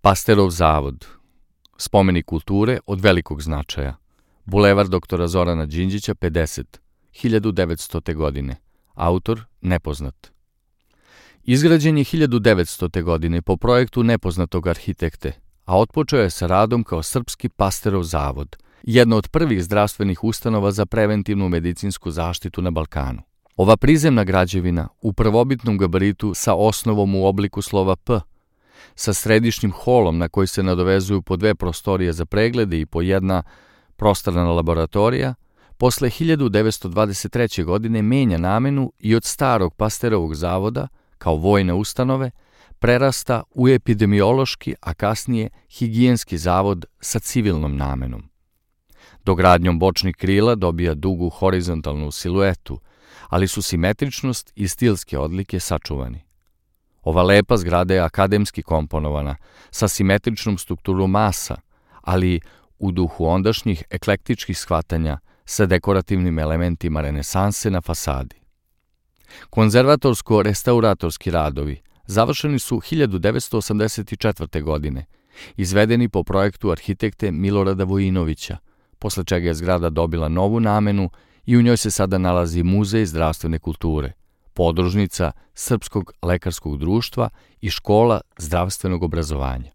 Pasterov zavod, spomenik kulture od velikog značaja. Bulevar doktora Zorana Đinđića, 50, 1900. godine. Autor nepoznat. Izgrađen je 1900. godine po projektu nepoznatog arhitekte, a otpočeo je sa radom kao Srpski Pasterov zavod, jedna od prvih zdravstvenih ustanova za preventivnu medicinsku zaštitu na Balkanu. Ova prizemna građevina u prvobitnom gabaritu sa osnovom u obliku slova P, sa središnjim holom na koji se nadovezuju po 2 prostorije za preglede i po 1 prostorna laboratorija, posle 1923. godine menja namenu i od starog Pasterovog zavoda, kao vojne ustanove, prerasta u epidemiološki, a kasnije higijenski zavod sa civilnom namenom. Dogradnjom bočnih krila dobija dugu horizontalnu siluetu, ali su simetričnost i stilske odlike sačuvani. Ova lepa zgrada je akademski komponovana, sa simetričnom strukturom masa, ali u duhu ondašnjih eklektičkih shvatanja sa dekorativnim elementima renesanse na fasadi. Konzervatorsko-restauratorski radovi završeni su 1984. godine, izvedeni po projektu arhitekte Milorada Vojinovića, posle čega je zgrada dobila novu namenu i u njoj se sada nalazi Muzej zdravstvene kulture, podružnica Srpskog lekarskog društva i škola zdravstvenog obrazovanja.